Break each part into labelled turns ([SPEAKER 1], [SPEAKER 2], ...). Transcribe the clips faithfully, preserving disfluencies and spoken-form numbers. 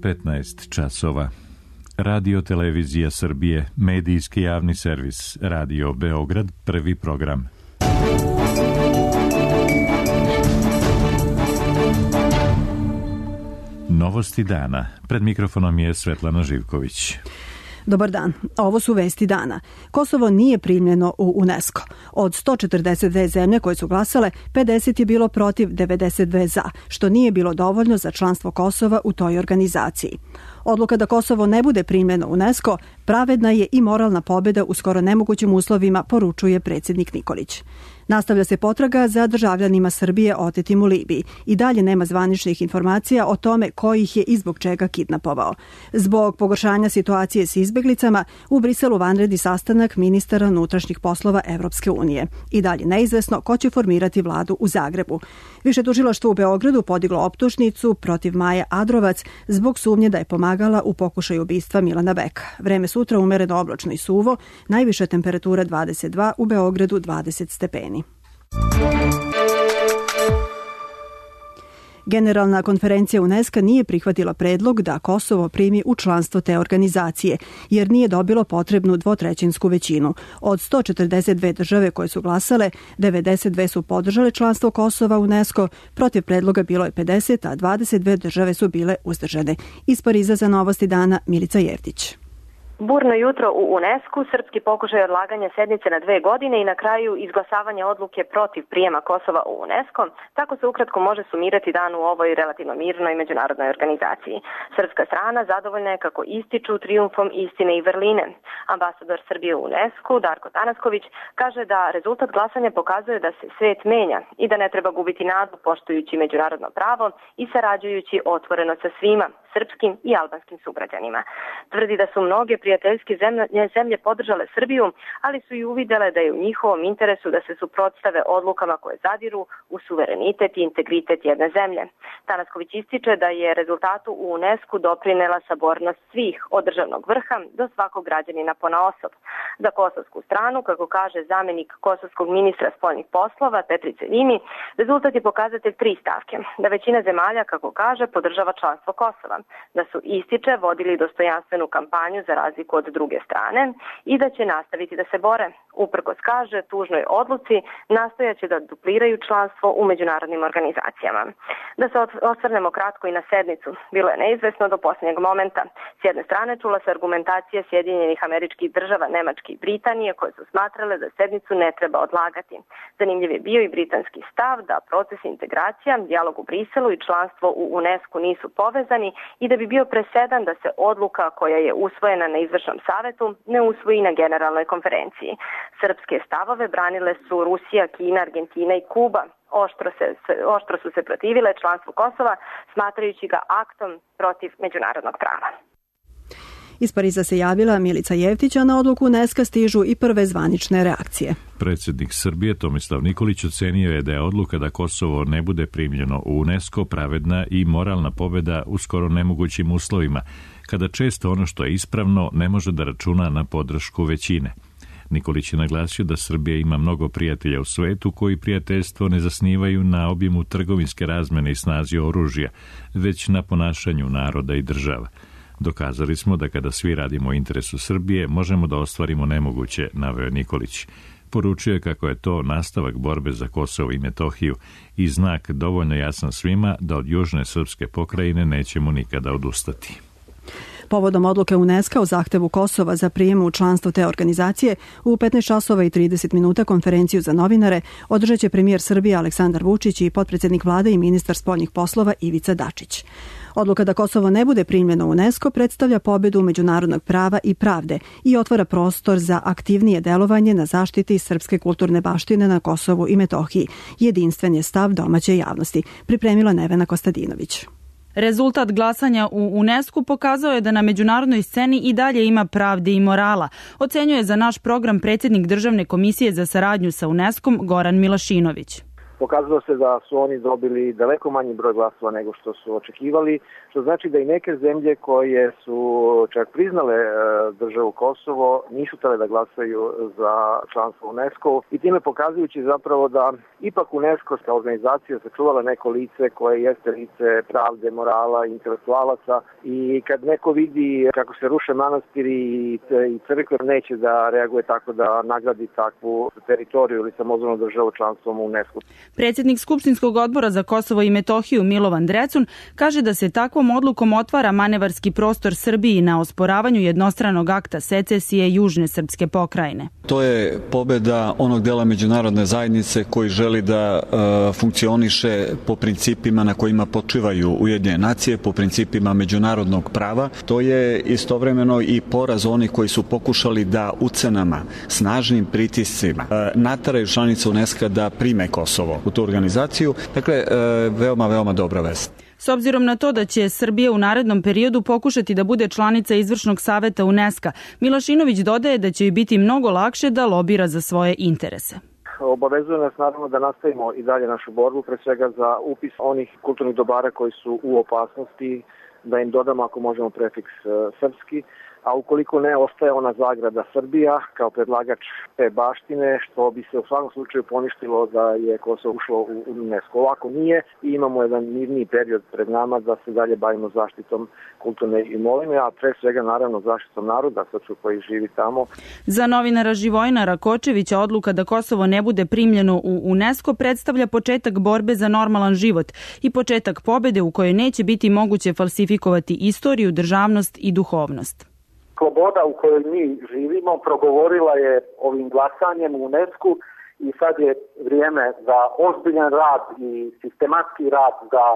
[SPEAKER 1] petnaest časova. Radio Televizija Srbije, medijski javni servis, Radio Beograd, prvi program. Novosti dana. Pred mikrofonom je Svetlana Živković.
[SPEAKER 2] Dobar dan. Ovo su vesti dana. Kosovo nije primljeno u UNESCO. Od sto četrdeset dve zemlje koje su glasale, pedeset je bilo protiv, devedeset dve za, što nije bilo dovoljno za članstvo Kosova u toj organizaciji. Odluka da Kosovo ne bude primljeno u UNESCO pravedna je i moralna pobjeda u skoro nemogućim uslovima, poručuje predsjednik Nikolić. Nastavlja se potraga za državljanima Srbije otetim u Libiji. I dalje nema zvaničnih informacija o tome ko ih je i zbog čega kidnapovao. Zbog pogoršanja situacije s izbeglicama, u Briselu vanredni sastanak ministara unutrašnjih poslova Evropske unije. I dalje neizvesno ko će formirati vladu u Zagrebu. Više tužilaštvo u Beogradu podiglo optužnicu protiv Maje Adrovac zbog sumnje da je pomagala u pokušaju ubistva Milana Beka. Vreme sutra umereno oblačno i suvo, najviša temperatura dvadeset dva, u Beogradu dvadeset stepeni. Generalna konferencija UNESCO nije prihvatila predlog da Kosovo primi u članstvo te organizacije, jer nije dobilo potrebnu dvotrećinsku većinu. Od sto četrdeset dve države koje su glasale, devedeset dve su podržale članstvo Kosova u UNESCO, protiv predloga bilo je pedeset, a dvadeset dve države su bile uzdržane. Iz Pariza za Novosti dana, Milica Jevtić.
[SPEAKER 3] Burno jutro u UNESCO, srpski pokušaj odlaganja sednice na dve godine i na kraju izglasavanje odluke protiv prijema Kosova u UNESCO. Tako se ukratko može sumirati dan u ovoj relativno mirnoj međunarodnoj organizaciji. Srpska strana zadovoljna je kako ističu trijumfom istine i vrline. Ambasador Srbije u UNESCO, Darko Tanasković, kaže da rezultat glasanja pokazuje da se svet menja i da ne treba gubiti nadu poštujući međunarodno pravo i sarađujući otvoreno sa svima, srpskim i albanskim sugrađanima. Tvrdi da su mnoge prijateljske zemlje, zemlje podržale Srbiju, ali su i uvidele da je u njihovom interesu da se suprotstave odlukama koje zadiru u suverenitet i integritet jedne zemlje. Tanasković ističe da je rezultatu u UNESCO doprinela sabornost svih, od državnog vrha do svakog građanina ponaosob. Za kosovsku stranu, kako kaže zamenik kosovskog ministra spoljnih poslova Petrice Vimi, rezultat je pokazatelj tri stavke. Da većina zemalja, kako kaže, podržava članstvo Kosova, da su, ističe, vodili dostojanstvenu kampanju za razliku od druge strane i da će nastaviti da se bore. Uprkos, kaže, tužnoj odluci nastojaće da dupliraju članstvo u međunarodnim organizacijama. Da se osvrnemo kratko i na sednicu. Bilo je neizvesno do posljednjeg momenta. S jedne strane čula se argumentacija Sjedinjenih Američkih Država, Nemačke i Britanije, koje su smatrale da sednicu ne treba odlagati. Zanimljiv je bio i britanski stav da proces integracija, dijalog u Briselu i članstvo u UNESCO nisu povezani i da bi bio presedan da se odluka koja je usvojena na izvršnom savetu ne usvoji na generalnoj konferenciji. Srpske stavove branile su Rusija, Kina, Argentina i Kuba. Oštro, se, oštro su se protivile članstvu Kosova, smatrajući ga aktom protiv međunarodnog prava.
[SPEAKER 2] Iz Pariza se javila Milica Jevtić, a na odluku UNESCO stižu i prve zvanične reakcije.
[SPEAKER 1] Predsjednik Srbije Tomislav Nikolić ocenio je da je odluka da Kosovo ne bude primljeno u UNESCO pravedna i moralna pobjeda u skoro nemogućim uslovima, kada često ono što je ispravno ne može da računa na podršku većine. Nikolić je naglasio da Srbija ima mnogo prijatelja u svetu koji prijateljstvo ne zasnivaju na obimu trgovinske razmene i snazi oružja, već na ponašanju naroda i država. Dokazali smo da kada svi radimo u interesu Srbije, možemo da ostvarimo nemoguće, naveo Nikolić. Poručio je kako je to nastavak borbe za Kosovo i Metohiju i znak dovoljno jasan svima da od južne srpske pokrajine nećemo nikada odustati.
[SPEAKER 2] Povodom odluke UNESCO o zahtevu Kosova za prijem u članstvo te organizacije, u petnaest časova i trideset minuta konferenciju za novinare održat će premijer Srbije Aleksandar Vučić i potpredsjednik vlade i ministar spoljnih poslova Ivica Dačić. Odluka da Kosovo ne bude primljeno u UNESCO predstavlja pobjedu međunarodnog prava i pravde i otvara prostor za aktivnije delovanje na zaštiti srpske kulturne baštine na Kosovu i Metohiji. Jedinstven je stav domaće javnosti, pripremila Nevena Kostadinović.
[SPEAKER 4] Rezultat glasanja u UNESCO pokazao je da na međunarodnoj sceni i dalje ima pravde i morala, ocenjuje za naš program predsjednik Državne komisije za saradnju sa UNESCO Goran Milašinović.
[SPEAKER 5] Pokazalo se da su oni dobili daleko manji broj glasova nego što su očekivali, što znači da i neke zemlje koje su čak priznale državu Kosovo nisu htjele da glasaju za članstvo u UNESCO i time pokazujući zapravo da ipak UNESCO kao organizacija sačuvala neko lice koje jeste lice pravde, morala, intelektualaca i kad neko vidi kako se ruše manastiri i crkve neće da reaguje tako da nagradi takvu teritoriju ili samozvanu državu članstvom u UNESCO.
[SPEAKER 4] Predsjednik Skupštinskog odbora za Kosovo i Metohiju Milovan Drecun kaže da se takvom odlukom otvara manevarski prostor Srbiji na osporavanju jednostranog akta secesije južne srpske pokrajine.
[SPEAKER 6] To je pobeda onog dela međunarodne zajednice koji želi da e, funkcioniše po principima na kojima počivaju Ujedinjene nacije, po principima međunarodnog prava. To je istovremeno i poraz onih koji su pokušali da ucenama, snažnim pritiscima e, nateraju članice UNESCO da prime Kosovo u tu organizaciju. Dakle, e, veoma, veoma dobra vest.
[SPEAKER 4] S obzirom na to da će Srbija u narednom periodu pokušati da bude članica Izvršnog saveta UNESCO, Milošinović dodaje da će joj biti mnogo lakše da lobira za svoje interese.
[SPEAKER 5] Obavezuje nas naravno da nastavimo i dalje našu borbu, pre svega za upis onih kulturnih dobara koji su u opasnosti, da im dodamo ako možemo prefiks srpski, a ukoliko ne, ostaje ona zagrada Srbija kao predlagač te baštine, što bi se u svakom slučaju poništilo da je Kosovo ušlo u UNESCO. Ovako nije i imamo jedan mirniji period pred nama da se dalje bavimo zaštitom kulturne imovine, a pre svega naravno zaštitom naroda koji živi tamo.
[SPEAKER 4] Za novinara Živojina Rakočevića odluka da Kosovo ne bude primljeno u UNESCO predstavlja početak borbe za normalan život i početak pobede u kojoj neće biti moguće falsifikovati istoriju, državnost i duhovnost.
[SPEAKER 7] Sloboda u kojoj mi živimo progovorila je ovim glasanjem u UNESCO i sad je vrijeme za ozbiljan rad i sistematski rad za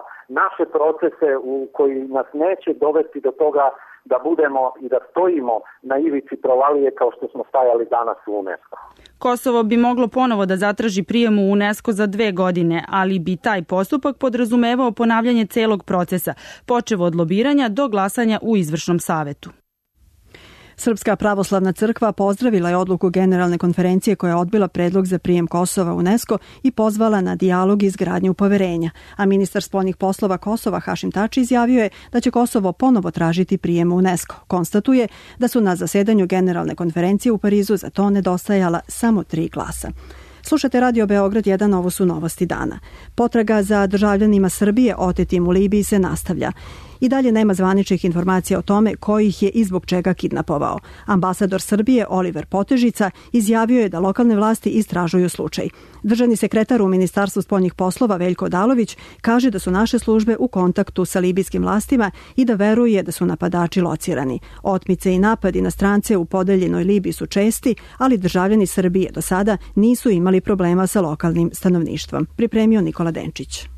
[SPEAKER 7] naše procese u koji nas neće dovesti do toga da budemo i da stojimo na ivici provalije kao što smo stajali danas u UNESCO.
[SPEAKER 4] Kosovo bi moglo ponovo da zatraži prijem u UNESCO za dve godine, ali bi taj postupak podrazumevao ponavljanje celog procesa, počev od lobiranja do glasanja u Izvršnom savetu.
[SPEAKER 2] Srpska pravoslavna crkva pozdravila je odluku Generalne konferencije koja je odbila predlog za prijem Kosova u UNESCO i pozvala na dijalog i izgradnju poverenja, a ministar spoljnih poslova Kosova Hašim Tači izjavio je da će Kosovo ponovo tražiti prijem u UNESCO. Konstatuje da su na zasedanju Generalne konferencije u Parizu za to nedostajala samo tri glasa. Slušate Radio Beograd jedan, ovo su novosti dana. Potraga za državljanima Srbije otetim u Libiji se nastavlja. I dalje nema zvaničnih informacija o tome ko ih je i zbog čega kidnapovao. Ambasador Srbije Oliver Potežica izjavio je da lokalne vlasti istražuju slučaj. Državni sekretar u Ministarstvu spoljnih poslova Veljko Odalović kaže da su naše službe u kontaktu sa libijskim vlastima i da veruje da su napadači locirani. Otmice i napadi na strance u podeljenoj Libiji su česti, ali državljani Srbije do sada nisu imali problema sa lokalnim stanovništvom. Pripremio Nikola Denčić.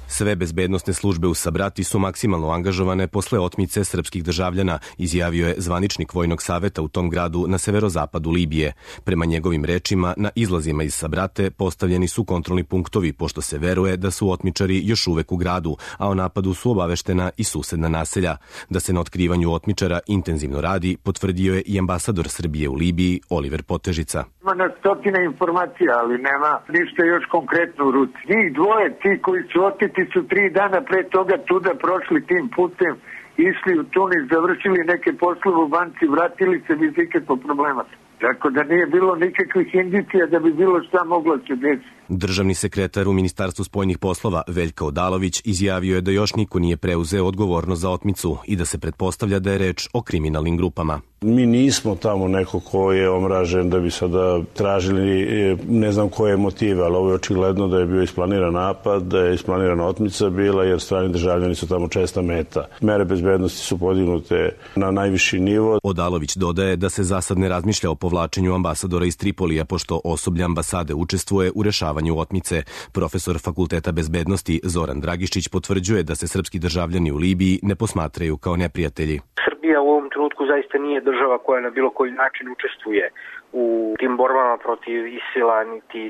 [SPEAKER 8] Sve bezbednosne službe u Sabrati su maksimalno angažovane posle otmice srpskih državljana, izjavio je zvaničnik Vojnog saveta u tom gradu na severozapadu Libije. Prema njegovim rečima, na izlazima iz Sabrate postavljeni su kontrolni punktovi, pošto se veruje da su otmičari još uvek u gradu, a o napadu su obaveštena i susedna naselja. Da se na otkrivanju otmičara intenzivno radi, potvrdio je i ambasador Srbije u Libiji Oliver Potežica.
[SPEAKER 9] Ima na stotine informacija, ali nema ništa još konkretno u ruci. Njih dvoje, ti koji su oteti, su tri dana pre toga tuda prošli tim putem, išli u Tunis, završili neke poslove u banci, vratili se bez ikakvog problema. Tako da nije bilo nikakvih indicija da bi bilo šta moglo se desiti.
[SPEAKER 8] Državni sekretar u Ministarstvu spoljnih poslova Veljko Odalović izjavio je da još niko nije preuzeo odgovornost za otmicu i da se pretpostavlja da je reč o kriminalnim grupama.
[SPEAKER 10] Mi nismo tamo neko ko je omražen da bi sada tražili ne znam koje motive, ali ovo je očigledno da je bio isplaniran napad, da je isplanirana otmica bila jer strani državljani su tamo česta meta. Mere bezbednosti su podignute na najviši nivo.
[SPEAKER 8] Odalović dodaje da se za sad ne razmišlja o povlačenju ambasadora iz Tripolija pošto osoblje ambasade učestvuje u rešavanju otmice. Profesor Fakulteta bezbednosti Zoran Dragišić potvrđuje da se srpski državljani u Libiji ne posmatraju kao neprijatelji.
[SPEAKER 11] Srbija u ovom trenutku zaista nije država koja na bilo koji način učestvuje u tim borbama protiv Isila, niti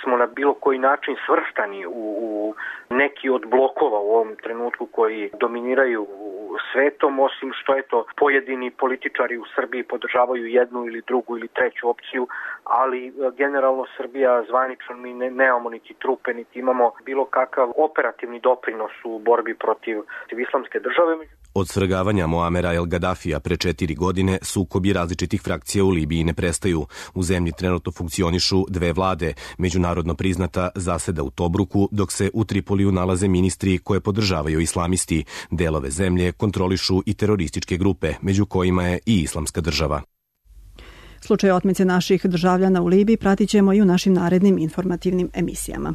[SPEAKER 11] smo na bilo koji način svrstani u, u neki od blokova u ovom trenutku koji dominiraju svetom, osim što je to pojedini političari u Srbiji podržavaju jednu ili drugu ili treću opciju, ali generalno Srbija zvanično mi ne, nemamo niti trupe, niti imamo bilo kakav operativni doprinos u borbi protiv islamske države.
[SPEAKER 8] Od svrgavanja Moamera El Gaddafija pre četiri godine sukobi različitih frakcija u Libiji ne prestaju. U zemlji trenutno funkcionišu dve vlade. Međunarodno priznata zaseda u Tobruku, dok se u Tripoliju nalaze ministri koje podržavaju islamisti. Delove zemlje kontrolišu i terorističke grupe, među kojima je i islamska država.
[SPEAKER 2] Slučaj otmice naših državljana u Libiji pratit ćemo i u našim narednim informativnim emisijama.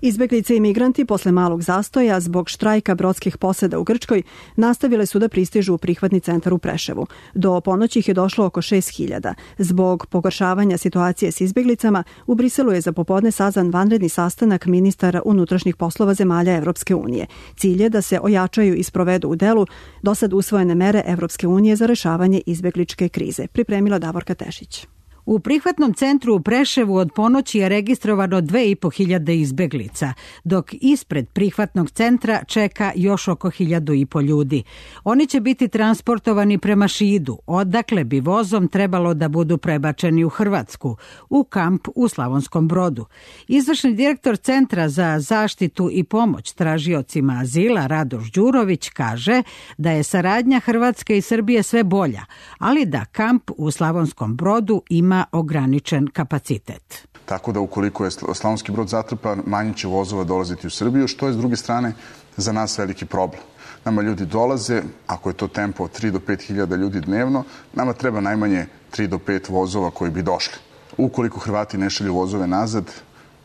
[SPEAKER 2] Izbeglice i migranti posle malog zastoja zbog štrajka brodskih posada u Grčkoj nastavile su da pristižu u prihvatni centar u Preševu. Do ponoći ih je došlo oko šest hiljada. Zbog pogoršavanja situacije s izbeglicama, u Briselu je za popodne sazvan vanredni sastanak ministara unutrašnjih poslova zemalja Evropske unije. Cilj je da se ojačaju i sprovedu u delu dosad usvojene mere Evropske unije za rešavanje izbegličke krize. Pripremila Davorka Tešić.
[SPEAKER 12] U prihvatnom centru u Preševu od ponoći je registrovano dve i po hiljade izbeglica, dok ispred prihvatnog centra čeka još oko hiljadu i po ljudi. Oni će biti transportovani prema Šidu, odakle bi vozom trebalo da budu prebačeni u Hrvatsku, u kamp u Slavonskom Brodu. Izvršni direktor Centra za zaštitu i pomoć tražiocima azila Radoš Đurović kaže da je saradnja Hrvatske i Srbije sve bolja, ali da kamp u Slavonskom Brodu ima ograničen kapacitet.
[SPEAKER 13] Tako da ukoliko je Slavonski Brod zatrpan, manje će vozova dolaziti u Srbiju, što je s druge strane za nas veliki problem. Nama ljudi dolaze, ako je to tempo od tri do pet hiljada ljudi dnevno, nama treba najmanje tri do pet vozova koji bi došli. Ukoliko Hrvati ne šalju vozove nazad,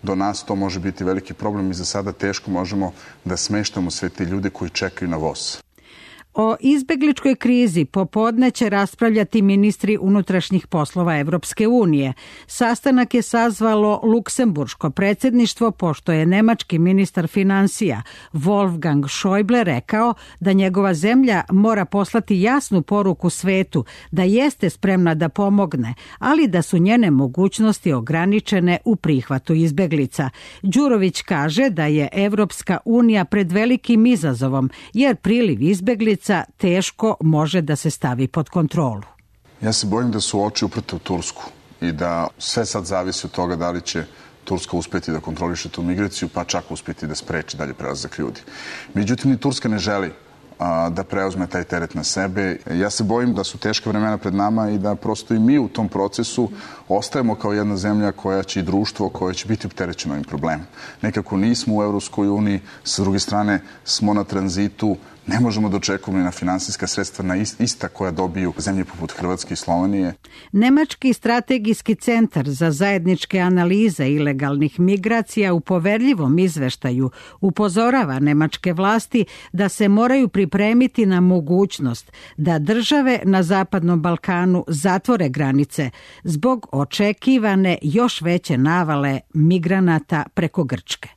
[SPEAKER 13] do nas to može biti veliki problem i za sada teško možemo da smeštamo sve te ljude koji čekaju na voz.
[SPEAKER 12] O izbegličkoj krizi popodne će raspravljati ministri unutrašnjih poslova Evropske unije. Sastanak je sazvalo Luksemburško predsjedništvo, pošto je nemački ministar finansija Wolfgang Schäuble rekao da njegova zemlja mora poslati jasnu poruku svetu da jeste spremna da pomogne, ali da su njene mogućnosti ograničene u prihvatu izbeglica. Đurović kaže da je Evropska unija pred velikim izazovom, jer priliv izbeglica teško može da se stavi pod kontrolu.
[SPEAKER 13] Ja se bojim da su oči uprte u Tursku i da sve sad zavisi od toga da li će Turska uspjeti da kontroliše tu migraciju, pa čak uspjeti da spreči dalje prelazak ljudi. Međutim, ni Turska ne želi a, da preuzme taj teret na sebe. Ja se bojim da su teška vremena pred nama i da prosto i mi u tom procesu ostajemo kao jedna zemlja koja će i društvo koje će biti opterećeno ovim problemom. Nekako nismo u Evropskoj uniji, sa druge strane smo na tranzitu, ne možemo da očekujemo na finansijska sredstva na ista koja dobiju zemlje poput Hrvatske i Slovenije.
[SPEAKER 12] Nemački strategijski centar za zajedničke analize ilegalnih migracija u poverljivom izveštaju upozorava nemačke vlasti da se moraju pripremiti na mogućnost da države na Zapadnom Balkanu zatvore granice zbog očekivane još veće navale migranata preko Grčke.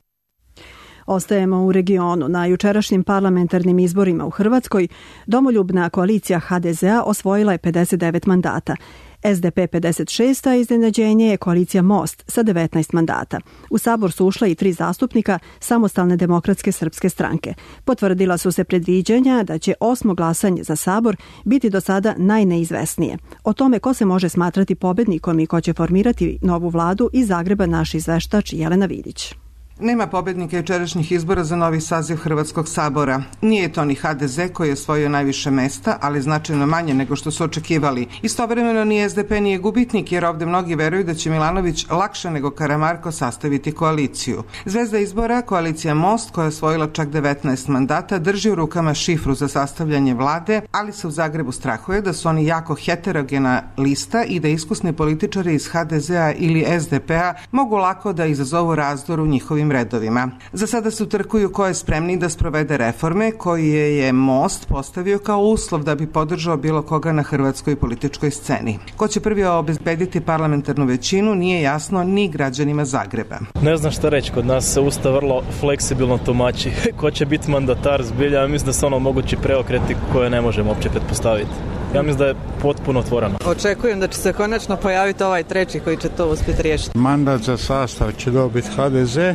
[SPEAKER 2] Ostajemo u regionu. Na jučerašnjim parlamentarnim izborima u Hrvatskoj domoljubna koalicija ha de zea osvojila je pedeset devet mandata. es de pe pedeset šest, a iznenađenje je koalicija Most sa devetnaest mandata. U sabor su ušla i tri zastupnika Samostalne demokratske srpske stranke. Potvrdila su se predviđanja da će osmo glasanje za sabor biti do sada najneizvesnije. O tome ko se može smatrati pobednikom i ko će formirati novu vladu iz Zagreba naš izveštač Jelena Vidić.
[SPEAKER 14] Nema pobednika jučerašnjih izbora za novi saziv Hrvatskog sabora. Nije to ni ha de ze koji je osvojio najviše mesta, ali značajno manje nego što su očekivali. Istovremeno ni es de pe nije gubitnik, jer ovde mnogi veruju da će Milanović lakše nego Karamarko sastaviti koaliciju. Zvezda izbora, koalicija Most, koja je osvojila čak devetnaest mandata, drži u rukama šifru za sastavljanje vlade, ali se u Zagrebu strahuje da su oni jako heterogena lista i da iskusni političari iz ha de zea ili es de pe-a mogu lako da izazovu razdor u njihovim redovima. Za sada se utrkuju ko je spremniji da sprovede reforme koje je Most postavio kao uslov da bi podržao bilo koga na hrvatskoj političkoj sceni. Ko će prvi obezbediti parlamentarnu većinu nije jasno ni građanima Zagreba.
[SPEAKER 15] Ne znam šta reći, kod nas se Ustav vrlo fleksibilno tumači. Ko će biti mandatar zbilja, mislim da se ono mogući preokreti koje ne možemo uopće pretpostaviti. Ja mislim da je potpuno otvoreno.
[SPEAKER 16] Očekujem da će se konačno pojaviti ovaj treći koji će to uspjeti riješiti.
[SPEAKER 17] Mandat za sastav će dobiti ha de ze,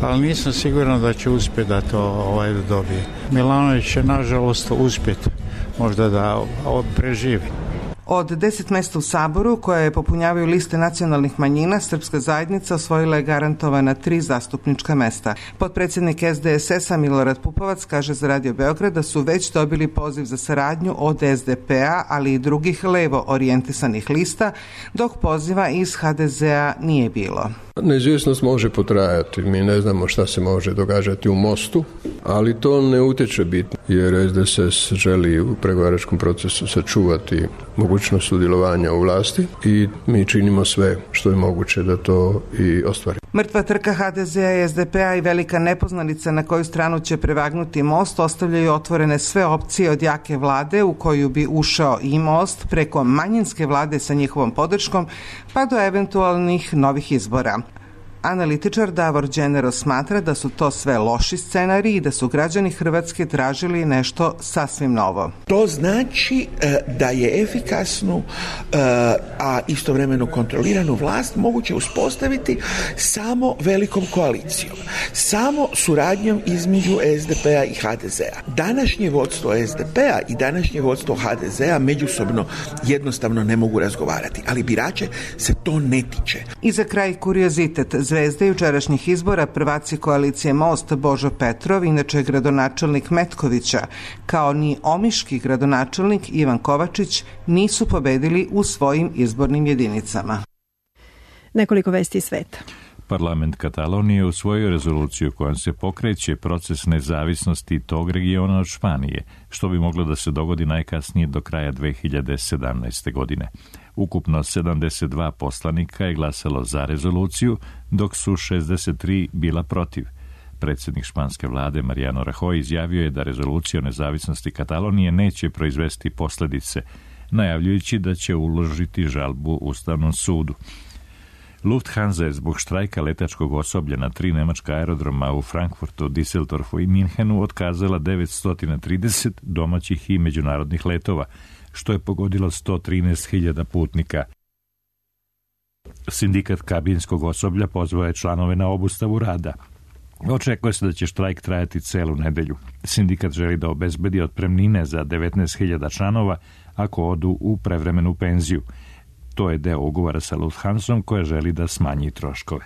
[SPEAKER 17] ali nisam siguran da će uspjeti da to ovaj dobije. Milanović će nažalost uspjeti možda da preživi.
[SPEAKER 14] Od deset mjesta u Saboru, koje popunjavaju liste nacionalnih manjina, Srpska zajednica osvojila je garantovana tri zastupnička mesta. Potpredsjednik es de es es a Milorad Pupovac kaže za Radio Beograd da su već dobili poziv za saradnju od es de pe a, ali i drugih levo orijentisanih lista, dok poziva iz ha de ze a nije bilo.
[SPEAKER 18] Neizvjesnost može potrajati. Mi ne znamo šta se može događati u Mostu, ali to ne utječe bitno, jer es de es es želi u pregovaračkom procesu sačuvati mogućnost sudjelovanja u vlasti i mi činimo sve što je moguće da to i ostvari.
[SPEAKER 14] Mrtva trka ha de ze a i es de pe a i velika nepoznanica na koju stranu će prevagnuti Most ostavljaju otvorene sve opcije od jake vlade u koju bi ušao i Most preko manjinske vlade sa njihovom podrškom pa do eventualnih novih izbora. Analitičar Davor Đenero smatra da su to sve loši scenariji i da su građani Hrvatske tražili nešto sasvim novo.
[SPEAKER 19] To znači da je efikasnu, a istovremeno kontroliranu vlast moguće uspostaviti samo velikom koalicijom, samo suradnjom između es de pe a i ha de ze a. Današnje vodstvo es de pe a i današnje vodstvo ha de ze a međusobno jednostavno ne mogu razgovarati, ali birače se to ne tiče.
[SPEAKER 14] I za kraj kuriozitet. Zvezde jučerašnjih izbora, prvaci koalicije Most Božo Petrov, inače gradonačelnik Metkovića, kao ni omiški gradonačelnik Ivan Kovačić nisu pobedili u svojim izbornim jedinicama.
[SPEAKER 2] Nekoliko vesti iz sveta.
[SPEAKER 1] Parlament Katalonije usvojio rezoluciju kojom se pokreće proces nezavisnosti tog regiona od Španije, što bi moglo da se dogodi najkasnije do kraja dve hiljade sedamnaeste. godine. Ukupno sedamdeset dva poslanika je glasalo za rezoluciju, dok su šezdeset tri bila protiv. Predsjednik španske vlade Mariano Rajoy izjavio je da rezolucija o nezavisnosti Katalonije neće proizvesti posljedice, najavljujući da će uložiti žalbu Ustavnom sudu. Lufthansa je zbog štrajka letačkog osoblja na tri nemačka aerodroma u Frankfurtu, Düsseldorfu i Minhenu otkazala devetsto trideset domaćih i međunarodnih letova, što je pogodilo sto trinaest hiljada putnika. Sindikat kabinskog osoblja pozvao je članove na obustavu rada. Očekuje se da će štrajk trajati celu nedelju. Sindikat želi da obezbedi otpremnine za devetnaest hiljada članova ako odu u prevremenu penziju. To je deo ugovora sa Lufthansom koja želi da smanji troškove.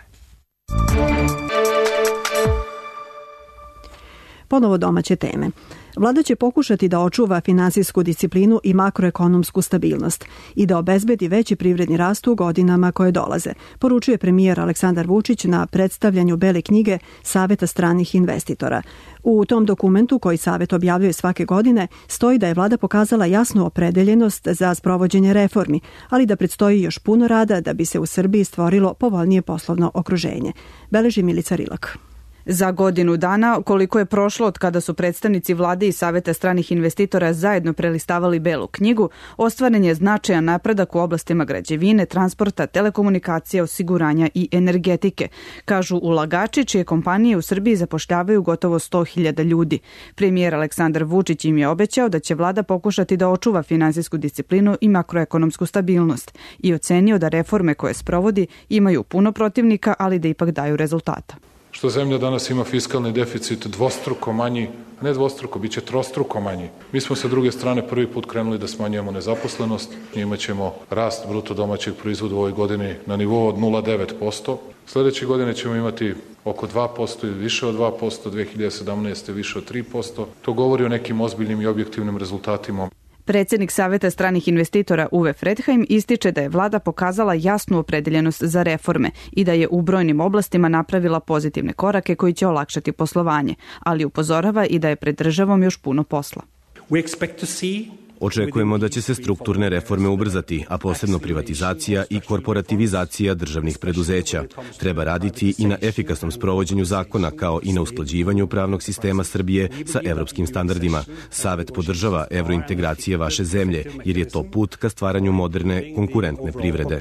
[SPEAKER 2] Ponovo domaće teme. Vlada će pokušati da očuva finansijsku disciplinu i makroekonomsku stabilnost i da obezbedi veći privredni rast u godinama koje dolaze, poručuje premijer Aleksandar Vučić na predstavljanju Bele knjige Saveta stranih investitora. U tom dokumentu, koji Savet objavljuje svake godine, stoji da je vlada pokazala jasnu opredeljenost za sprovođenje reformi, ali da predstoji još puno rada da bi se u Srbiji stvorilo povoljnije poslovno okruženje. Beleži Milica Rilak.
[SPEAKER 4] Za godinu dana, koliko je prošlo od kada su predstavnici vlade i Saveta stranih investitora zajedno prelistavali Belu knjigu, ostvaren je značajan napredak u oblastima građevine, transporta, telekomunikacija, osiguranja i energetike, kažu ulagači čije kompanije u Srbiji zapošljavaju gotovo sto hiljada ljudi. Premijer Aleksandar Vučić im je obećao da će vlada pokušati da očuva finansijsku disciplinu i makroekonomsku stabilnost i ocenio da reforme koje sprovodi imaju puno protivnika, ali da ipak daju rezultata.
[SPEAKER 20] Što zemlja danas ima fiskalni deficit dvostruko manji, ne dvostruko, bit će trostruko manji. Mi smo sa druge strane prvi put krenuli da smanjujemo nezaposlenost, imat ćemo rast bruto domaćeg proizvoda u ovoj godini na nivou od nula zarez devet posto. Sljedeće godine ćemo imati oko dva posto i više od dva posto, dve hiljade sedamnaeste. više od tri posto. To govori o nekim ozbiljnim i objektivnim rezultatima.
[SPEAKER 4] Predsjednik Saveta stranih investitora Uwe Fredheim ističe da je vlada pokazala jasnu opredeljenost za reforme i da je u brojnim oblastima napravila pozitivne korake koji će olakšati poslovanje, ali upozorava i da je pred državom još puno posla.
[SPEAKER 8] Očekujemo da će se strukturne reforme ubrzati, a posebno privatizacija i korporativizacija državnih preduzeća. Treba raditi i na efikasnom sprovođenju zakona, kao i na usklađivanju pravnog sistema Srbije sa evropskim standardima. Savet podržava evrointegracije vaše zemlje, jer je to put ka stvaranju moderne, konkurentne privrede.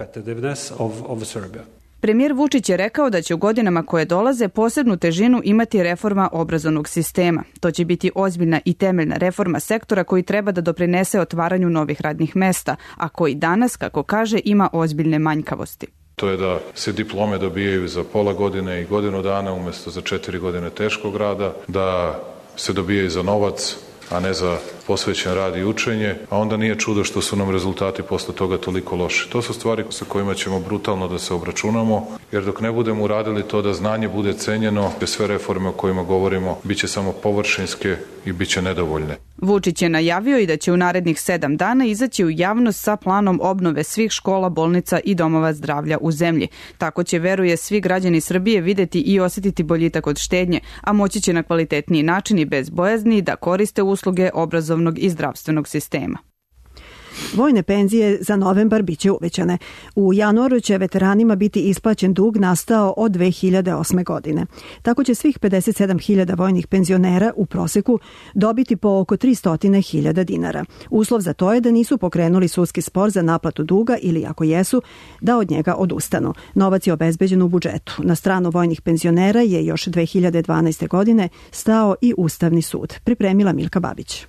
[SPEAKER 4] Premijer Vučić je rekao da će u godinama koje dolaze posebnu težinu imati reforma obrazovnog sistema. To će biti ozbiljna i temeljna reforma sektora koji treba da doprinese otvaranju novih radnih mesta, a koji danas, kako kaže, ima ozbiljne manjkavosti.
[SPEAKER 20] To je da se diplome dobijaju za pola godine i godinu dana umjesto za četiri godine teškog rada, da se dobijaju za novac, a ne za posvećen rad i učenje, a onda nije čudo što su nam rezultati posle toga toliko loši. To su stvari sa kojima ćemo brutalno da se obračunamo, jer dok ne budemo uradili to da znanje bude cenjeno, sve reforme o kojima govorimo biće samo površinske i biće nedovoljne.
[SPEAKER 4] Vučić je najavio i da će u narednih sedam dana izaći u javnost sa planom obnove svih škola, bolnica i domova zdravlja u zemlji. Tako će, veruje, svi građani Srbije videti i osjetiti boljitak od štednje, a moći će na kvalitetniji način i bez bojazni da koriste usluge obrazovnog i zdravstvenog sistema.
[SPEAKER 2] Vojne penzije za novembar biće uvećane. U januaru će veteranima biti isplaćen dug nastao od dve hiljade osme. godine. Tako će svih pedeset sedam hiljada vojnih penzionera u proseku dobiti po oko tristo hiljada dinara. Uslov za to je da nisu pokrenuli sudski spor za naplatu duga ili, ako jesu, da od njega odustanu. Novac je obezbeđen u budžetu. Na stranu vojnih penzionera je još dve hiljade dvanaeste. godine stao i Ustavni sud. Pripremila Milka Babić.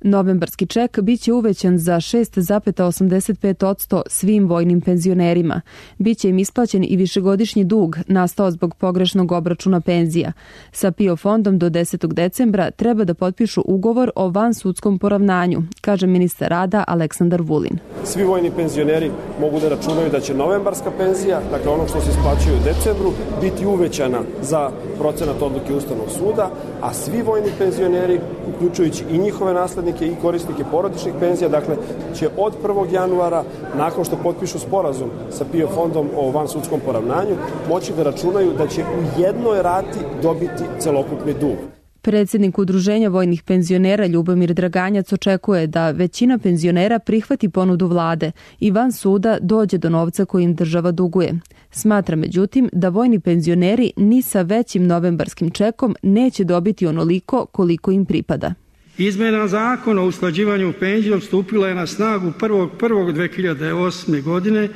[SPEAKER 21] Novembarski ček biće uvećan za šest zarez osamdeset pet posto svim vojnim penzionerima. Biće im isplaćen i višegodišnji dug nastao zbog pogrešnog obračuna penzija. Sa PIO fondom do desetog decembra treba da potpišu ugovor o vansudskom poravnanju, kaže ministar rada Aleksandar Vulin.
[SPEAKER 22] Svi vojni penzioneri mogu da računaju da će novembarska penzija, dakle ono što se isplaćuje u decembru, biti uvećana za procenat odluke Ustavnog suda, a svi vojni penzioneri, uključujući i njihove naslednike i korisnike porodičnih penzija, dakle, će od prvog januara, nakon što potpišu sporazum sa PIO fondom o vansudskom poravnanju, moći da računaju da će u jednoj rati dobiti celokupni dug.
[SPEAKER 21] Predsjednik Udruženja vojnih penzionera Ljubomir Draganjac očekuje da većina penzionera prihvati ponudu vlade i van suda dođe do novca koji im država duguje. Smatra, međutim, da vojni penzioneri ni sa većim novembarskim čekom neće dobiti onoliko koliko im pripada.
[SPEAKER 23] Izmjena zakona o usklađivanju penzijom stupila je na snagu prvog prvog dve hiljade osme. godine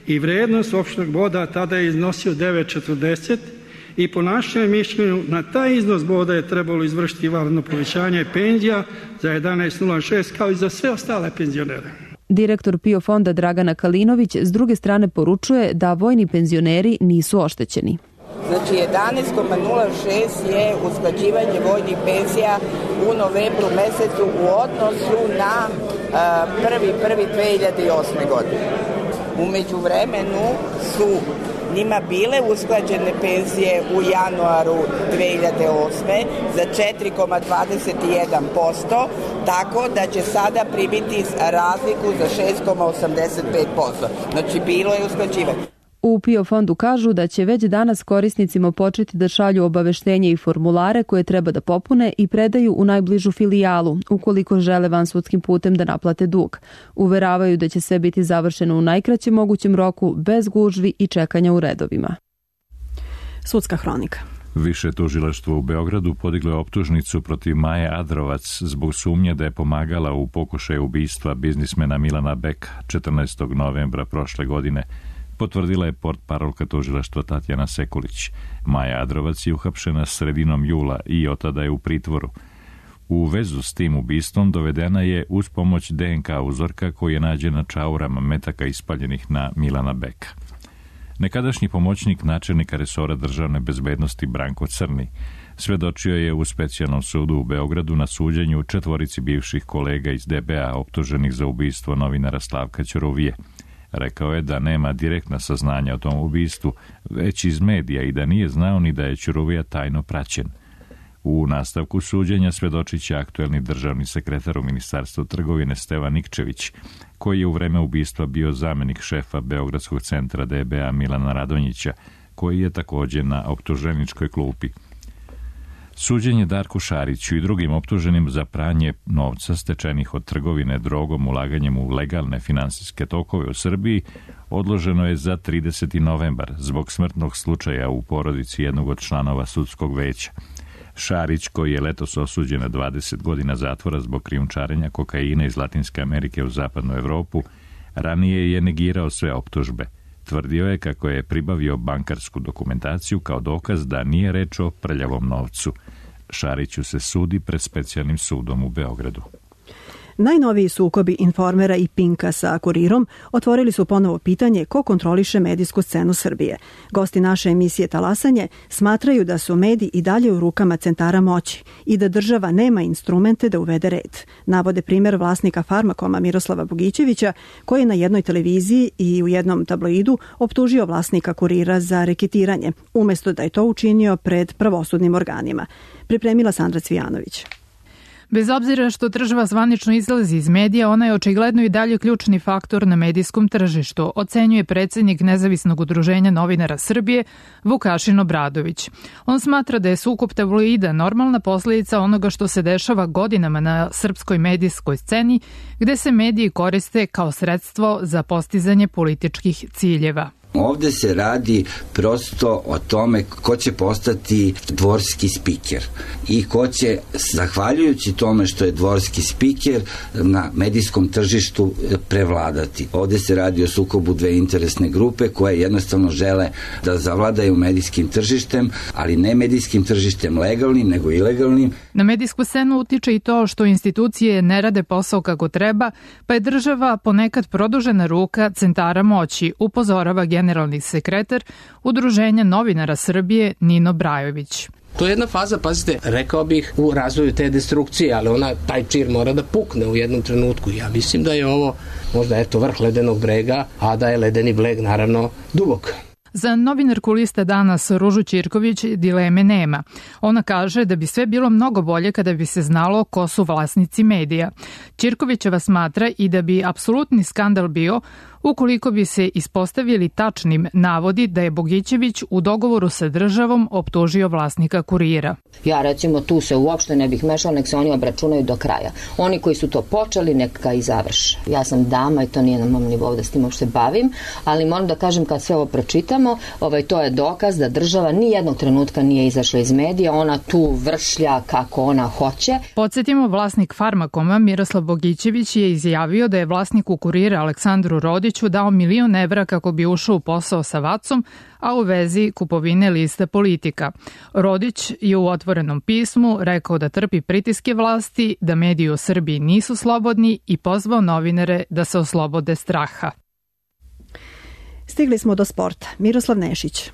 [SPEAKER 23] i vrednost opšteg boda tada je iznosio devet zarez četrdeset i po našem mišljenju na taj iznos boda je trebalo izvršiti vanredno povećanje penzija za jedanaest zarez nula šest kao i za sve ostale penzionere.
[SPEAKER 21] Direktor PIO fonda Dragana Kalinović s druge strane poručuje da vojni penzioneri nisu oštećeni.
[SPEAKER 24] Znači jedanaest zarez nula šest je usklađivanje vojnih penzija u novembru mesecu u odnosu na prvi prvi dve hiljade osme. godine. U međuvremenu su njima bile usklađene penzije u januaru dve hiljade osme. za četiri zarez dvadeset jedan posto, tako da će sada pribiti razliku za šest zarez osamdeset pet posto. Znači bilo je usklađivanje.
[SPEAKER 21] U PIO fondu kažu da će već danas korisnicima početi da šalju obaveštenje i formulare koje treba da popune i predaju u najbližu filijalu, ukoliko žele vansudskim putem da naplate dug. Uveravaju da će sve biti završeno u najkraćem mogućem roku, bez gužvi i čekanja u redovima.
[SPEAKER 2] Sudska hronika.
[SPEAKER 1] Više tužilaštvo u Beogradu podiglo je optužnicu protiv Maje Adrovac zbog sumnje da je pomagala u pokušaju ubistva biznismena Milana Beka četrnaestog novembra prošle godine, potvrdila je portparolka tužilaštva Tatjana Sekulić. Maja Adrovac je uhapšena sredinom jula i od tada je u pritvoru. U vezu s tim ubistvom dovedena je uz pomoć de en ka uzorka koji je nađen na čaurama metaka ispaljenih na Milana Beka. Nekadašnji pomoćnik načelnika resora državne bezbednosti Branko Crni svedočio je u specijalnom sudu u Beogradu na suđenju četvorici bivših kolega iz de be a optuženih za ubistvo novinara Slavka Ćuruvije. Rekao je da nema direktna saznanja o tom ubistvu, već iz medija, i da nije znao ni da je Ćuruvija tajno praćen. U nastavku suđenja svedočit će aktuelni državni sekretar u Ministarstvu trgovine Stevan Nikčević, koji je u vreme ubistva bio zamenik šefa Beogradskog centra de be a Milana Radonjića, koji je također na optuženičkoj klupi. Suđenje Darku Šariću i drugim optuženim za pranje novca stečenih od trgovine drogom ulaganjem u legalne finansijske tokove u Srbiji odloženo je za trideseti novembar zbog smrtnog slučaja u porodici jednog od članova sudskog veća. Šarić, koji je letos osuđen na dvadeset godina zatvora zbog krijumčarenja kokaina iz Latinske Amerike u zapadnu Evropu, ranije je negirao sve optužbe. Tvrdio je kako je pribavio bankarsku dokumentaciju kao dokaz da nije reč o prljavom novcu. Šariću se sudi pred specijalnim sudom u Beogradu.
[SPEAKER 2] Najnoviji sukobi Informera i Pinka sa Kurirom otvorili su ponovo pitanje ko kontroliše medijsku scenu Srbije. Gosti naše emisije Talasanje smatraju da su mediji i dalje u rukama centara moći i da država nema instrumente da uvede red. Navode primjer vlasnika Farmakoma Miroslava Bogićevića, koji je na jednoj televiziji i u jednom tabloidu optužio vlasnika Kurira za reketiranje, umjesto da je to učinio pred pravosudnim organima. Pripremila Sandra Cvijanović.
[SPEAKER 3] Bez obzira što država zvanično izlazi iz medija, ona je očigledno i dalje ključni faktor na medijskom tržištu, ocenjuje predsjednik Nezavisnog udruženja novinara Srbije Vukašin Obradović. On smatra da je sukob tabloida normalna posljedica onoga što se dešava godinama na srpskoj medijskoj sceni, gde se mediji koriste kao sredstvo za postizanje političkih ciljeva.
[SPEAKER 5] Ovde se radi prosto o tome ko će postati dvorski spiker i ko će, zahvaljujući tome što je dvorski spiker, na medijskom tržištu prevladati. Ovde se radi o sukobu dve interesne grupe koje jednostavno žele da zavladaju medijskim tržištem, ali ne medijskim tržištem legalnim, nego ilegalnim.
[SPEAKER 3] Na medijsku scenu utiče i to što institucije ne rade posao kako treba, pa je država ponekad produžena ruka centara moći, upozorava generalni sekretar Udruženja novinara Srbije Nino Brajović.
[SPEAKER 6] To je jedna faza, pazite, rekao bih, u razvoju te destrukcije, ali ona, taj čir mora da pukne u jednom trenutku. Ja mislim da je ovo možda eto vrh ledenog brega, a da je ledeni breg naravno dubok.
[SPEAKER 3] Za novinarku Liste danas Ružu Ćirković dileme nema. Ona kaže da bi sve bilo mnogo bolje kada bi se znalo ko su vlasnici medija. Ćirkovićeva smatra i da bi apsolutni skandal bio ukoliko bi se ispostavili tačnim navodi da je Bogićević u dogovoru sa državom optužio vlasnika Kurira.
[SPEAKER 7] Ja recimo tu se uopšte ne bih mešala, nek se oni obračunaju do kraja. Oni koji su to počeli, neka i završe. Ja sam dama i to nije na mom nivou da s tim uopšte bavim, ali moram da kažem kad sve ovo pročitamo, ovaj, to je dokaz da država ni jednog trenutka nije izašla iz medija, ona tu vršlja kako ona hoće.
[SPEAKER 3] Podsjetimo, vlasnik Farmakoma Miroslav Bogićević je izjavio da je vlasniku Kurira Aleksandru Rodiću dao milion evra kako bi ušao u posao sa Vacom, a u vezi kupovine liste Politika. Rodić je u otvorenom pismu rekao da trpi pritiske vlasti, da mediji u Srbiji nisu slobodni i pozvao novinare da se oslobode straha.
[SPEAKER 2] Stigli smo do sporta. Miroslav Nešić.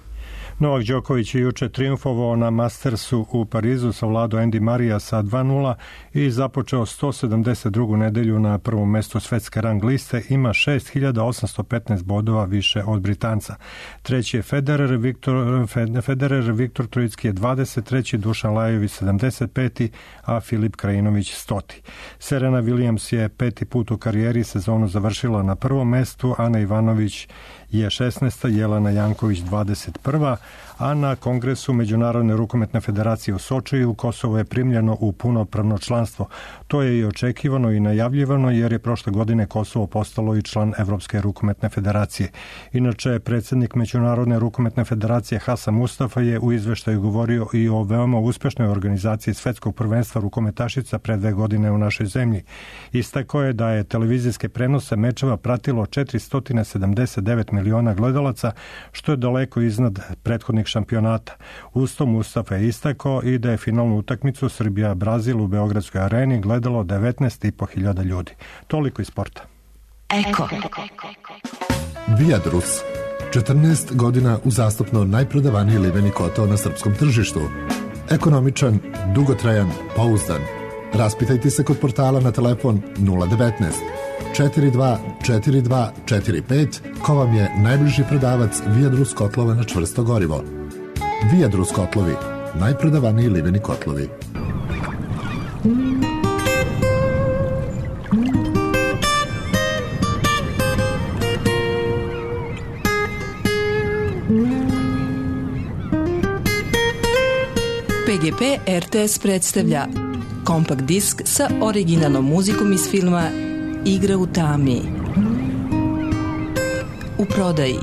[SPEAKER 25] Novak Đoković je juče triumfovao na Mastersu u Parizu, savladao Andy Marija sa dva nula i započeo sto sedamdeset drugu nedelju na prvom mestu svetske rang liste, ima šest hiljada osamsto petnaest bodova više od Britanca. Treći je Federer, Viktor, Federer, Viktor Trojicki je dvadeset treći, Dušan Lajović sedamdeset peti, a Filip Krajinović stoti. Serena Williams je peti put u karijeri sezonu završila na prvom mestu, Ana Ivanović je šesnaesta, Jelena Janković dvadeset prva, a na Kongresu Međunarodne rukometne federacije u Sočiju Kosovo je primljeno u punopravno članstvo. To je i očekivano i najavljivano jer je prošle godine Kosovo postalo i član Evropske rukometne federacije. Inače, predsjednik Međunarodne rukometne federacije Hasan Mustafa je u izveštaju govorio i o veoma uspešnoj organizaciji svetskog prvenstva rukometašica pre dve godine u našoj zemlji. Istakao je da je televizijske prenose mečeva pratilo četiristo sedamdeset devet miliona gledalaca, što je daleko iznad prethodnih šampionata. Uz to Mustafa je istakao i da je finalnu utakmicu Srbija-Brazil u Beogradskoj areni gledalo devetnaest i po hiljada ljudi. Toliko iz sporta.
[SPEAKER 26] Eko. Viadrus. četrnaest godina uzastopno najprodavaniji liveni kotao na srpskom tržištu. Ekonomičan, dugotrajan, pouzdan. Raspitajte se kod portala na telefon nula devetnaest četiri dva četiri dva četiri pet ko vam je najbliži prodavac Viadrus kotlova na čvrsto gorivo. Viadrus kotlovi, najprodavaniji liveni kotlovi.
[SPEAKER 27] P G P R T S predstavlja kompakt disk sa originalnom muzikom iz filma Igra u tami. U prodaji.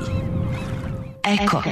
[SPEAKER 27] Eko.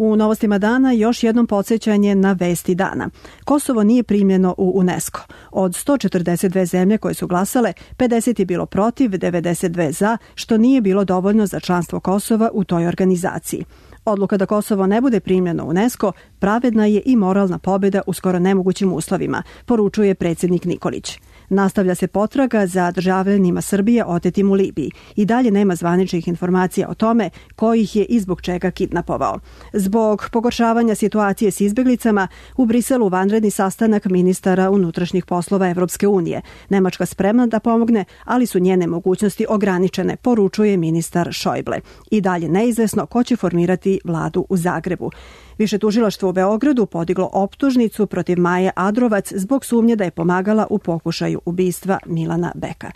[SPEAKER 2] U novostima dana još jednom podsjećanje na vesti dana. Kosovo nije primljeno u UNESCO. Od sto četrdeset dve zemlje koje su glasale, pedeset je bilo protiv, devedeset dve za, što nije bilo dovoljno za članstvo Kosova u toj organizaciji. Odluka da Kosovo ne bude primljeno u UNESCO pravedna je i moralna pobjeda u skoro nemogućim uslovima, poručuje predsjednik Nikolić. Nastavlja se potraga za državljanima Srbije otetim u Libiji. I dalje nema zvaničnih informacija o tome ko ih je i zbog čega kidnapovao. Zbog pogoršavanja situacije s izbjeglicama, u Briselu vanredni sastanak ministara unutrašnjih poslova Evropske unije. Nemačka spremna da pomogne, ali su njene mogućnosti ograničene, poručuje ministar Šojble. I dalje neizvesno ko će formirati vladu u Zagrebu. Više tužilaštvo u Beogradu podiglo optužnicu protiv Maje Adrovac zbog sumnje da je pomagala u pokušaju ubistva Milana Beka.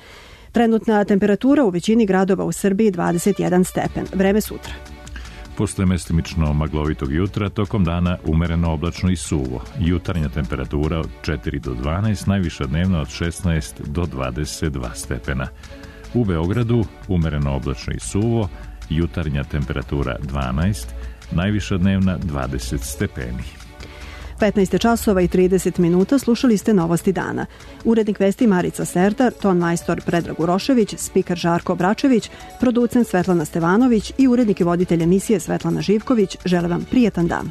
[SPEAKER 2] Trenutna temperatura u većini gradova u Srbiji dvadeset jedan stepen. Vreme sutra.
[SPEAKER 1] Posle mestimično maglovitog jutra, tokom dana umereno oblačno i suvo. Jutarnja temperatura od četiri do dvanaest, najviša dnevna od šesnaest do dvadeset dva stepena. U Beogradu umereno oblačno i suvo, jutarnja temperatura dvanaest, najviša dnevna dvadeset stepeni.
[SPEAKER 2] petnaest časova i trideset minuta, slušali ste novosti dana. Urednik vesti Marica Serdar, ton majstor Predrag Urošević, spiker Žarko Bračević, producent Svetlana Stevanović i urednik i voditelj emisije Svetlana Živković žele vam prijetan dan.